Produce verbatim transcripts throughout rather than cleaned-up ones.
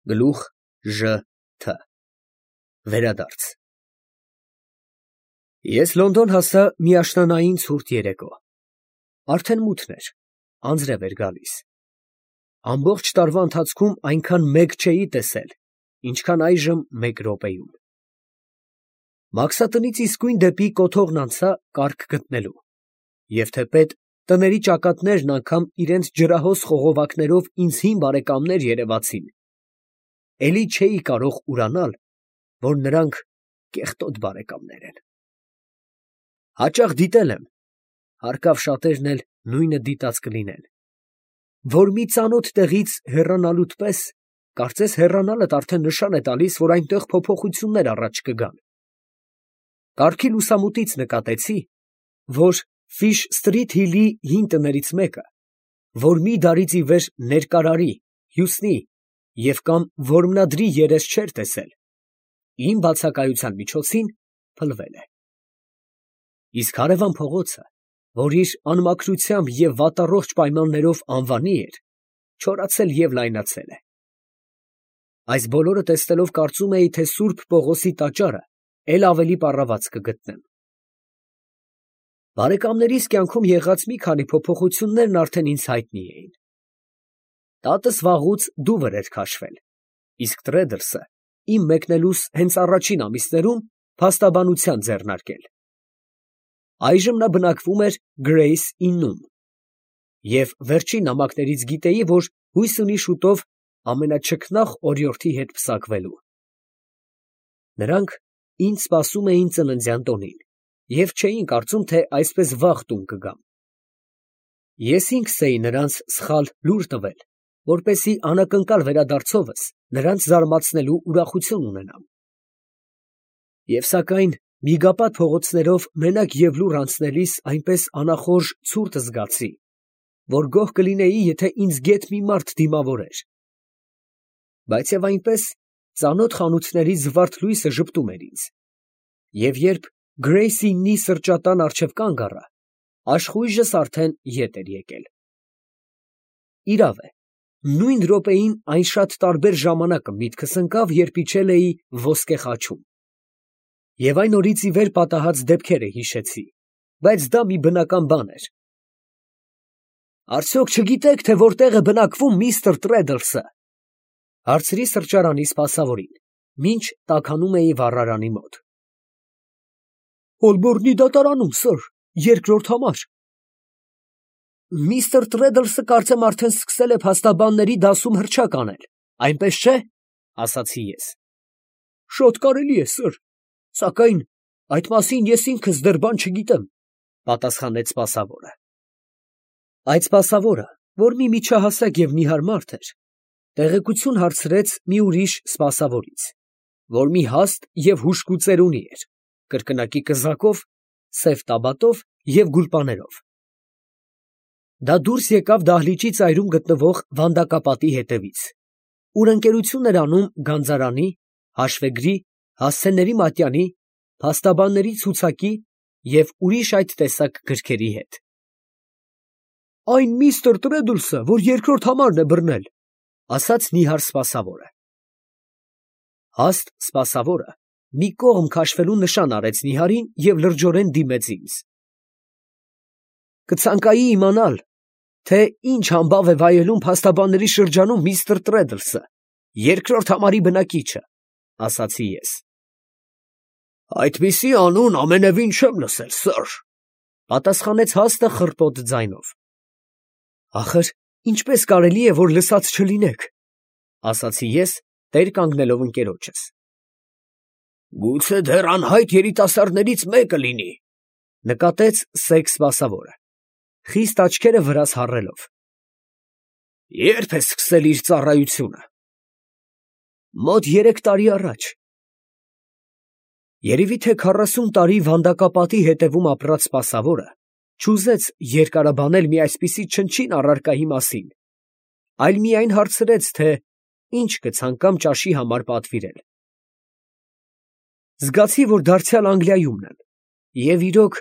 Գլուխ Ժ Թ Վերադարձ Ես Լոնդոն հասա մի աշնանային ցուրտ երեկո, արդեն մութն էր, անձրև էր գալիս, ամբողջ տարվա ընթացքում այնքան մեկ չէի տեսել, ինչքան այժմ մեկ րոպեում, մաքսատնից իսկույն դեպի կոթողն անցա կառք գտնելու, և թեպետ տների ճակատներն անգամ իրենց ջրահոս խողովակներով ինձ հին բարեկամներ երևացին, էլի չէի կարող ուրանալ, որ նրանք կեղտոտ բարեկամներ են։ Հաճախ դիտել եմ, հարկավ շատերն էլ նույնը դիտած կլինեն, որ մի ծանոթ տեղից հեռանալուդ պես, կարծես հեռանալդ արդեն նշան է տալիս, որ այնտեղ փոփոխություններ առաջ կգան։ Կառքի լուսամուտից նկատեցի, որ Ֆիշ Սթրիթ Հիլի հին տներից մեկը, որ մի դարից ի վեր ներկարարի, հյուսնի և կամ որմնադրի երես չէր տեսել, իմ բացակայության միջոցին փլվել է։ Իսկ հարևան փողոցը, որ իր անմաքրությամբ և վատառողջ պայմաններով անվանի էր, չորացել և լայնացել է։ Այս բոլորը տեսնելով կարծում էի, թե Սուրբ Պողոսի տաճարը էլ ավելի պառաված կգտնեմ։ Բարեկամներիս կյանքում եղած մի քանի փոփոխություններն արդեն ինձ հայտնի էին։ Տատս վաղուց դուվր էր քաշվել, իսկ Տրեդլսը իմ մեկնելուս հենց առաջին ամիսներում փաստաբանության ձեռնարկել։ Այժմ նա բնակվում էր Գրեյս իննում, և վերջին նամակներից գիտեի, որ հույս ունի շուտով ամենաչքնաղ օրիորդի հետ պսակվելու։ Նրանք ինձ սպասում էին ծննդյան տոնին և չէին կարծում, թե այսպես վաղ տուն կգամ։ Ես ինքս էի նրանց սխալ լուր տվել, որպեսզի անակնկալ վերադարձովս նրանց զարմացնելու ուրախություն ունենամ։ Եվ սակայն միգապատ փողոցներով մենակ և լուռ անցնելիս այնպես անախորժ ցուրտ զգացի, որ գոհ կլինեի, եթե ինձ գեթ մի մարդ դիմավորեր։ Բայց և այնպես ծանոթ խանութների զվարթ լույսը ժպտում էր ինձ, և երբ Գրեյս իննի սրճատան առջև կանգ առա, աշխույժս արդեն ետ էր եկել։ Իրավ է, նույն րոպեին այն շատ տարբեր ժամանակը միտքս ընկավ, երբ իջել էի Ոսկե խաչում, և այն օրից ի վեր պատահած դեպքերը հիշեցի, բայց դա մի բնական բան էր։ Արդյոք չգիտեք, թե որտեղ է բնակվում միստր Տրեդլսը, ֊ հարցրի սրճարանի սպասավորին, մինչ տաքանում էի վառարանի մոտ։ Հոլբորնի դատարանում, սըր, երկրորդ համար։ Միստր Տրեդլսը կարծեմ արդեն սկսել է փաստաբանների դասում հռչակ անել, այնպես չէ, ֊ ասացի ես։ Շատ կարելի է, սըր, սակայն այդ մասին ես ինքս դեռ բան չգիտեմ, ֊ պատասխանեց սպասավորը։ Այդ սպասավորը, որ մի միջահասակ և նիհար մարդ էր, տեղեկություն հարցրեց մի ուրիշ սպասավորից, որ մի հաստ և հուժկու ծերունի էր, կրկնակի կզակով, սև տաբատով և գուլպաներով։ Դա դուրս եկավ դահլիճի ծայրում գտնվող վանդակապատի հետևից, ուր ընկերություն էր անում գանձարանի, հաշվեգրի, հասցեների մատյանի, փաստաբանների ցուցակի և ուրիշ այդ տեսակ գրքերի հետ։ Այն միստր Տրեդլսը, որ երկրորդ համարն է բռնել, ֊ ասաց նիհար սպասավորը։ Հաստ սպասավորը մի կողմ քաշվելու նշան արեց նիհարին և լրջորեն դիմեց ինձ։ Կցանկայի իմանալ, թե ինչ համբավ է վայելում փաստաբանների շրջանում միստր Տրեդլսը, երկրորդ համարի բնակիչը, ֊ ասացի ես։ Այդպիսի անուն ամենևին չեմ լսել, սըր, ֊ պատասխանեց հաստը խռպոտ ձայնով։ Ախր ինչպես կարելի է, որ լսած չլինեք, ֊ ասացի ես, տեր կանգնելով ընկերոջս։ Գուցե դեռ անհայտ երիտասարդներից մեկը լինի, ֊ նկատեց սեկ սպասավորը, խիստ աչքերը վրաս հառելով։ Ե՞րբ է սկսել իր ծառայությունը։ Մոտ երեք տարի առաջ։ Երևի թե քառասուն տարի վանդակապատի հետևում ապրած սպասավորը չուզեց երկարաբանել մի այսպիսի չնչին առարկայի մասին, այլ միայն հարցրեց, թե ինչ կցանկամ ճաշի համար պատվիրել։ Զգացի, որ դարձյալ Անգլիայումն եմ, և իրոք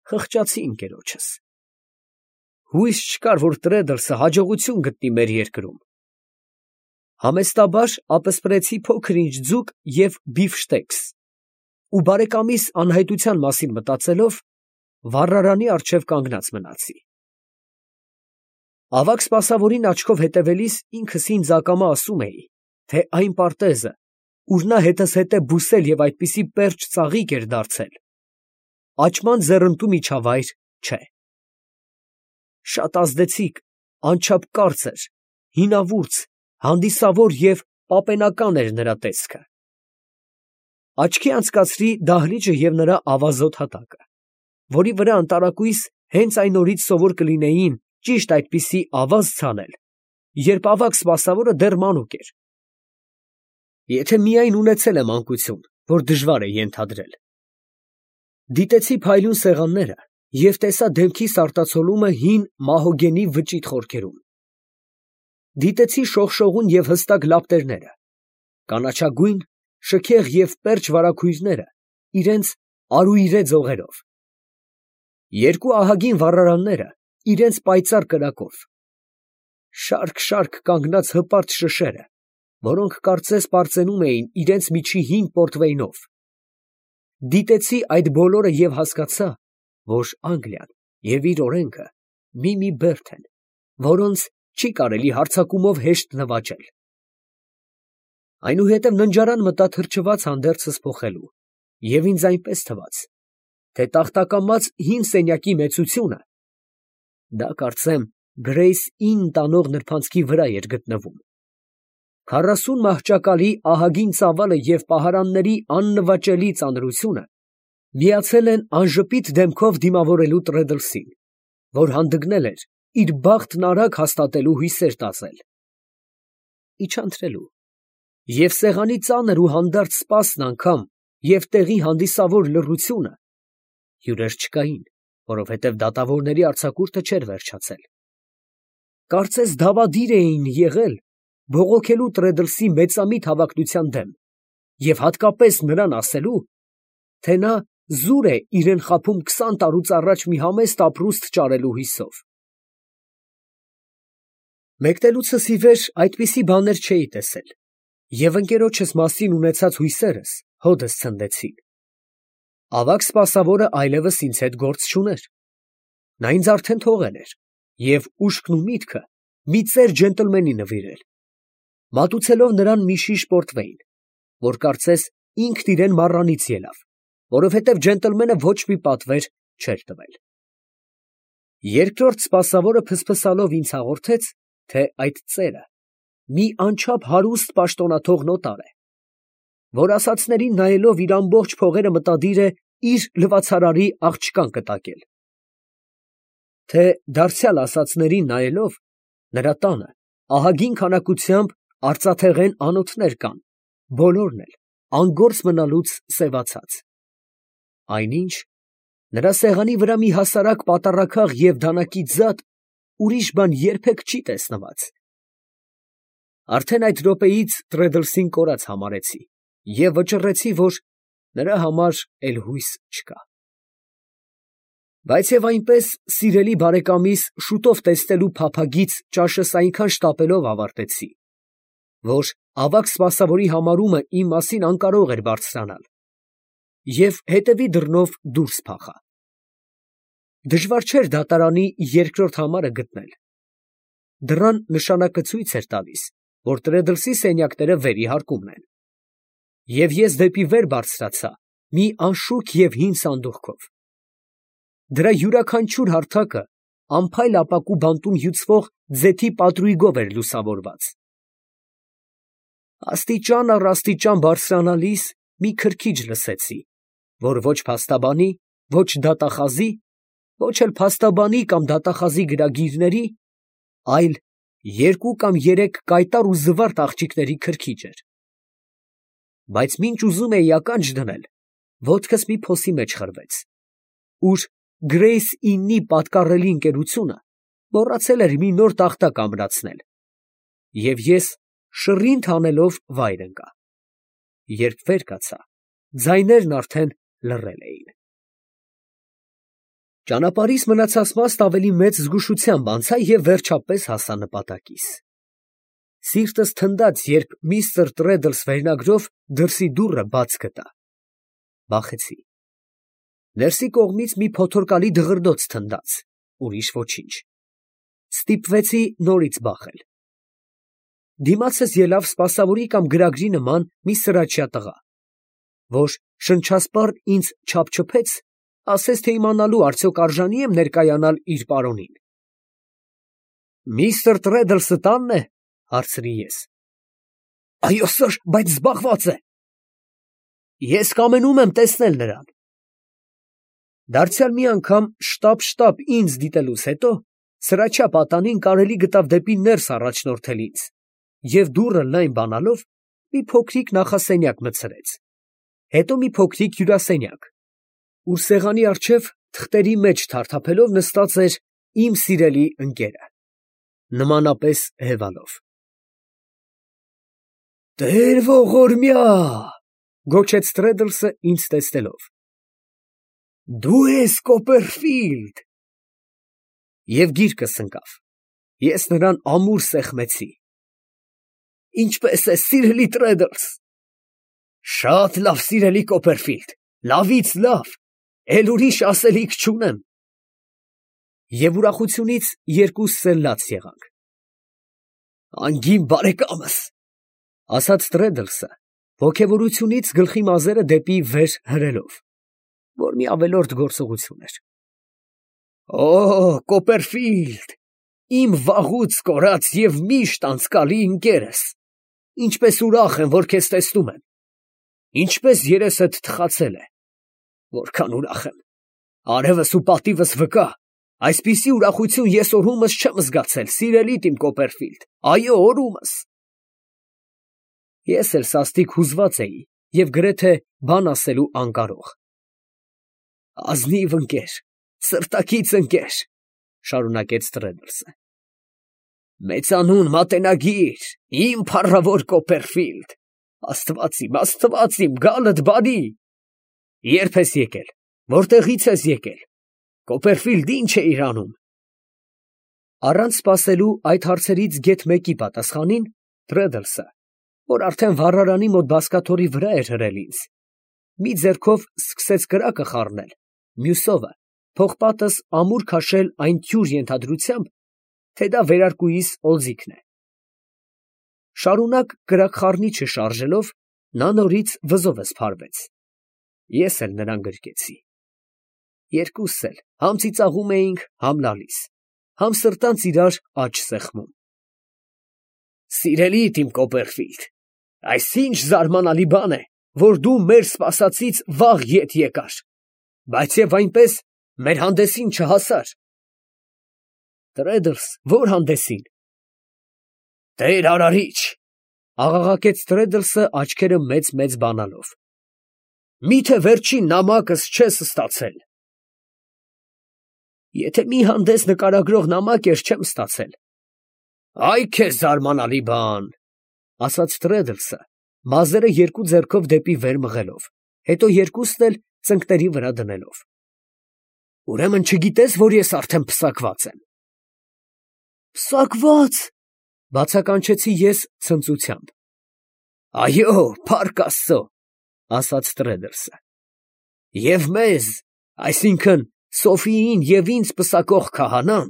խղճացի ընկերոջս։ Հույս չկար, որ Տրեդլսը հաջողություն գտնի մեր երկրում։ Համեստաբար ապսպրեցի փոքր-ինչ ձուկ և բիֆշտեքս, ու բարեկամիս անհայտության մասին մտածելով, վառարանի առջև կանգնած մնացի։ Ավագ սպասավորին աչքով հետևելիս ինքս ինձ ակամա ասում էի, թե այն պարտեզը, ուր նա հետս հետե բուսել և այդպիսի պերճ ծաղիկ էր դարձել, աճման ձեռնտու միջավայր չէ։ Շատ ազդեցիկ, անչափ կարծր, հինավուրց, հանդիսավոր և պապենական էր նրա տեսքը։ Աչքի անցկացրի դահլիճը և նրա ավազոտ հատակը, որի վրա անտարակույս հենց այն օրից սովոր կլինեին ճիշտ այդպիսի ավազ ցանել, երբ ավագ սպասավորը դեռ մանուկ էր, եթե միայն ունեցել է մանկություն, որ դժվար է ենթադրել։ Դիտեցի փայլուն սեղանները և տեսա դեմքիս արտացոլումը հին մահոգենի վճիտ խորքերում։ Դիտեցի շողշողուն և հստակ լապտերները, կանաչագույն, շքեղ և պերճ վարագույրները իրենց արուիրե ձողերով, երկու ահագին վառարանները իրենց պայծառ կրակով, շարք֊շարք կանգնած հպարտ շշերը, որոնք կարծես պարծենում էին իրենց միջի հին պորտվեյնով։ Դիտեցի այդ բոլորը և հասկացա, որ Անգլիան և իր օրենքը մի֊մի բերդ են, որոնց չի կարելի հարձակումով հեշտ նվաճել։ Այնուհետև ննջարան մտա թրջված հանդերձս փոխելու, և ինձ այնպես թվաց, թե տախտակամած հին սենյակի մեծությունը (դա կարծեմ Գրեյս Ինն տանող նրբանցքի վրա էր գտնվում) քառասուն մահճակալի ահագին ծավալը և պահարանների աննվաճելի ծանրությունը միացել են անժպիտ դեմքով դիմավորելու Տրեդլսին, որ հանդգնել էր իր բախտն արագ հաստատելու հույսեր տածել։ Իջա ընթրելու, և սեղանի ծանր ու հանդարտ սպասն անգամ և տեղի հանդիսավոր լռությունը (հյուրեր չկային, որովհետև դատավորների արձակուրդը չէր վերջացել) կարծես դավադիր էին եղել բողոքելու Տրեդլսի մեծամիտ հավակնության դեմ և հատկապես նրան ասելու, թե նա զուր է իրեն խաբում քսան տարուց առաջ մի համեստ ապրուստ ճարելու հույսով։ Մեկնելուցս ի վեր այդպիսի բաներ չէի տեսել, և ընկերոջս մասին ունեցած հույսերս հօդս ցնդեցին։ Ավագ սպասավորը այլևս ինձ հետ գործ չուներ. նա ինձ արդեն թողել էր և ուշքն ու միտքը մի ծեր ջենտլմենի նվիրել, մատուցելով նրան մի շիշ պորտվեյն, որ կարծես ինքն իրան մառանից ելավ, որովհետև ջենտլմենը ոչ մի պատվեր չէր տվել։ Երկրորդ սպասավորը փսփսալով ինձ հաղորդեց, թե այդ ծերը մի անչափ հարուստ պաշտոնաթող նոտար է, որ ասածներին նայելով իր ամբողջ փողերը մտադիր է իր լվացարարի աղջկան կտակել, թե դարձյալ ասածներին նայելով նրա տանը ահագին քանակությամբ արծաթեղեն անոթներ կան, բոլորն էլ անգործ մնալուց սևացած, այնինչ նրա սեղանի վրա մի հասարակ պատառաքաղ և դանակի ձատ ուրիշ բան երբեք չի տեսնված։ Արդեն այդ րոպեից Տրեդլսին կորած համարեցի և վճռեցի, որ նրա համար էլ հույս չկա։ Բայց և այնպես, սիրելի բարեկամիս շուտով տեսնելու փափագից ճաշս այնքան շտապելով ավարտեցի, որ ավագ սպասավորի համարումը իմ մասին անկարող էր բարձրանալ, և հետևի դռնով դուրս փախա։ Դժվար չէր դատարանի երկրորդ համարը գտնել. դռան նշանակը ցույց էր տալիս, որ Տրեդլսի սենյակները վերիհարկումն են, և ես դեպի վեր բարձրացա մի անշուք և հին սանդուղքով։ Դրա յուրաքանչյուր հարթակը անփայլ ապակու բանտում հյուծվող ձեթի պատրույգով էր լուսավորված։ Աստիճան առ աստիճան բարձրանալիս մի քրքիջ լսեցի, որ ոչ փաստաբանի, ոչ դատախազի, ոչ էլ փաստաբանի կամ դատախազի գրագիրների, այլ երկու կամ երեք կայտառ ու զվարթ աղջիկների քրքիջ էր։ Բայց մինչ ուզում էի ականջ դնել, ոտքս մի փոսի մեջ խրվեց, ուր Գրեյս Իննի պատկառելի ընկերությունը մոռացել էր մի նոր տախտակ ամրացնել, և ես շռինթ անելով վայր ընկա։ Երբ վեր կացա, ձայներն արդեն լռել էին։ Ճանապարհիս մնացած մասն ավելի մեծ զգուշությամբ անցա և վերջապես հասա նպատակիս։ Սիրտս թնդաց, երբ միստր Տրեդլս վերնագրով դրսի դուռը բաց գտա։ Վախեցի։ Ներսի կողմից մի փոթորկալի դղրդոց թնդաց, ուրիշ ոչինչ։ Ստիպվեցի նորից բախել։ Դիմացս ելավ սպասավորի կամ գրագրի նման մի սրաչյա տղա, որ շնչասպառ ինձ չափչփեց, ասես թե իմանալու արդյոք արժանի եմ ներկայանալ իր պարոնին։ Միստր Տրեդլսը տանն է, հարցրի ես։ Այո, սըր, բայց զբաղված է։ Ես կամենում եմ տեսնել նրան։ Դարձյալ մի անգամ շտապ-շտապ ինձ դիտելուց հետո սրաչյա պատանին կարելի գտավ դեպի ներս առաջնորդել ինձ և դուռը լայն բանալով մի փոքրիկ նախասենյակ մտցրեց, հետո մի փոքրիկ հյուրասենյակ, ուր սեղանի առջև թղթերի մեջ թարթափելով նստած էր իմ սիրելի ընկերը, նմանապես հևալով։ Տեր ողորմյա, գոչեց Տրեդլսը ինձ տեսնելով։ Դու ես Կոպերֆիլդ։ Եվ գիրկս ընկավ։ Ես նրան ամուր սեղմեցի։ Ինչպե՞ս ես, սիրելի Տրեդլս։ Շատ լավ, սիրելի Կոպերֆիլդ, լավից լավ, էլ ուրիշ ասելիք չունեմ։ Եվ ուրախությունից երկուսս էլ լաց եղանք։ Անգին բարեկամս, ասաց Տրեդլսը, ոգևորությունից գլխի մազերը դեպի վեր հրելով, որ մի ավելորդ գործողություն էր։ Օ, Կոպերֆիլդ, իմ վաղուց կորած և միշտ անցկալի ընկերս, ինչպես ուրախ եմ, որ քեզ տեսնում եմ, ինչպես երեսդ թխացել է, որքան ուրախ եմ, արևս ու պատիվս վկա, այսպիսի ուրախություն ես օրումս չեմ զգացել, սիրելիդ իմ Կոպերֆիլդ, այո, օրումս։ Ես էլ սաստիկ հուզված էի և գրեթե բան ասելու անկարող։ Ազնիվ ընկեր, սրտակից ընկեր, շարունակեց Տրեդլսը։ Մեծանուն մատենագիր, իմ փառավոր Կոպերֆիլդ, աստված իմ, աստված իմ, գալդ բարի։ Երբ ես եկել, որտեղից ես եկել, Կոպերֆիլդ ինչ էիր անում։ Առանց սպասելու այդ հարցերից գեթ մեկի պատասխանին, Տրեդլսը, որ արդեն վառարանի մոտ բազկաթոռի վրա էր հրել ինձ, մի ձեռքով սկսեց կրակը խառնել, մյուսովը փողպատս ամուր քաշել այն թյուր ենթադրությամբ, թե դա վերարկուիս օձիքն է։ Շարունակ կրակխառնիչը շարժելով, նա նորից վզովս փարվեց։ Ես էլ նրան գրկեցի։ Երկուսս էլ համ ծիծաղում էինք, համ լալիս, համ սրտանց իրար աջ սեղմում։ Սիրելիդ իմ Կոպերֆիլդ, այս ինչ զարմանալի բան է, որ դու մեր սպասածից վաղ ետ եկար, բայց և այնպես մեր հանդեսին չհասար։ Տրեդլս, ո՞ր հանդեսին։ Տեր արարիչ, աղաղակեց Տրեդլսը աչքերը մեծ-մեծ բանալով։ Միթե վերջին նամակս չես ստացել։ Եթե մի հանդես նկարագրող նամակ էր, չեմ ստացել։ Այ քեզ զարմանալի բան, ասաց Տրեդլսը, մազերը երկու ձեռքով դեպի վեր մղելով, հետո երկուսն էլ ծնկների վրա դնելով։ Ուրեմն չգիտես, որ ես արդեն պսակված եմ։ Պսակված, բացականչեցի ես ցնծությամբ։ Այո, փառք Աստծո, ասաց Տրեդլսը։ Եվ մեզ, այսինքն Սոֆիին և ինձ պսակող քահանան,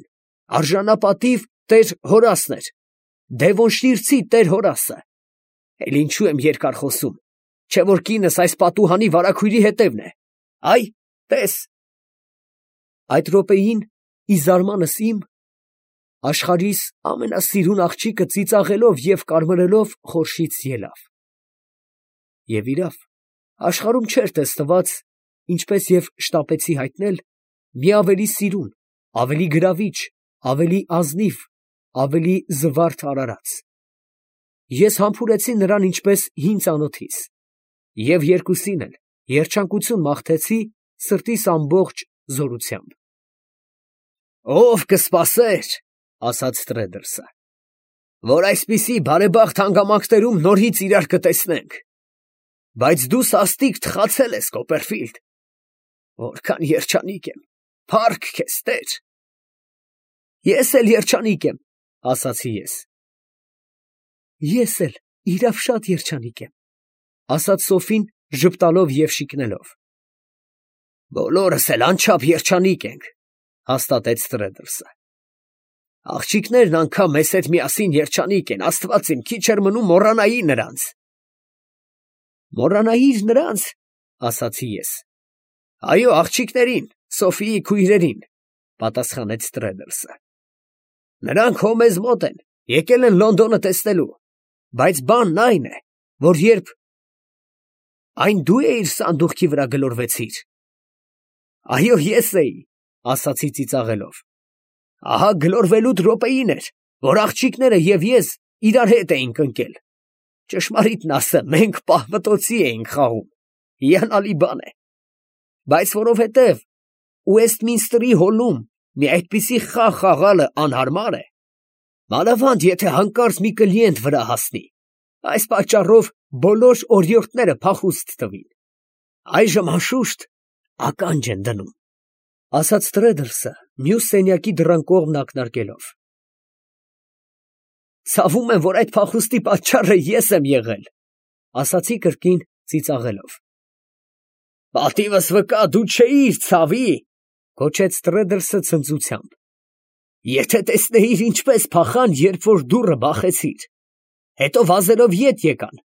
արժանապատիվ տեր Հորասն էր, Դևոնշիրցի տեր Հորասը։ Էլ ինչու եմ երկար խոսում, չէ որ կինս այս պատուհանի վարագույրի հետևն է։ Այ, տես։ Այդ րոպեին, ի զարմանս իմ, աշխարհիս ամենասիրուն աղջիկը ծիծաղելով և կարմրելով խորշից ելավ։ Եվ իրավ, աշխարհում չէր տեսնված, ինչպես և շտապեցի հայտնել, մի ավելի սիրուն, ավելի գրավիչ, ավելի ազնիվ, ավելի զվարթ արարած։ Ես համբուրեցի նրան ինչպես հին ծանոթիս, և երկուսին էլ երջանկություն մաղթեցի սրտիս ամբողջ զորությամբ։ Ով կսպասեր, ասաց Տրեդլսը, որ այսպիսի բարեբախտ հանգամանքներում նորից իրար կտեսնենք, բայց դու սաստիկ թխացել ես, Կոպերֆիլդ, որքան երջանիկ եմ, փառք քեզ, Տեր։ Ես էլ երջանիկ եմ, ասացի ես։ Ես էլ իրավ շատ երջանիկ եմ, ասաց Սոֆին ժպտալով և շիկնելով։ Բոլորս էլ անչափ երջանիկ ենք, հաստատեց Տրեդլսը։ Աղջիկներն անգամ մեզ հետ միասին երջանիկ են, աստված իմ, քիչ էր մնում մոռանայի նրանց։ Մոռանայիր նրանց, ասացի ես։ Այո, աղջիկներին, Սոֆիի քույրերին, պատասխանեց Տրեդլսը։ Նրանք հո մեզ մոտ են, եկել են Լոնդոնը տեսնելու, բայց բանն այն է, որ երբ… Այն դու էիր սանդուղքի վրա գլորվեցիր։ Այո, ես էի, ասացի ծիծաղելով։ Ահա գլորվելուդ րոպեին էր, որ աղջիկները և ես իրար հետ էինք ընկել։ Ճշմարիտն ասեմ, մենք պահվտոցի էինք խաղում, հիանալի բան է։ Բայց որովհետև Ուեստմինսթրի հոլում մի այդպիսի խաղ խաղալը անհարմար է, մանավանդ եթե հանկարծ մի կլիենտ վրա հասնի, այս պատճառով բոլոր օրիորդները փախուստ տվին։ Այժմ անշուշտ ականջ են դնում, ասաց Տրեդլսը, մյուս սենյակի դռան կողմն ակնարկելով։ Ցավում եմ, որ այդ փախուստի պատճառը ես եմ եղել, ասացի կրկին ծիծաղելով։ Պատիվս վկա, դու չէիր, ցավի, գոչեց Տրեդլսը ցնծությամբ։ Եթե տեսնեիր ինչպես փախան, երբ որ դուռը բախեցիր, հետո վազելով ետ եկան,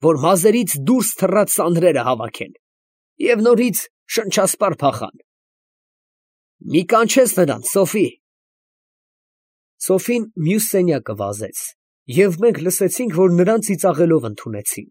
որ մազերից դուրս թռած սանրերը հավաքեն, և նորից շնչասպառ փախան։ Մի կանչես նրանց, Սոֆի։ Սոֆին մյուս սենյակը վազեց, և մենք լսեցինք, որ նրան ծիծաղելով ընդունեցին։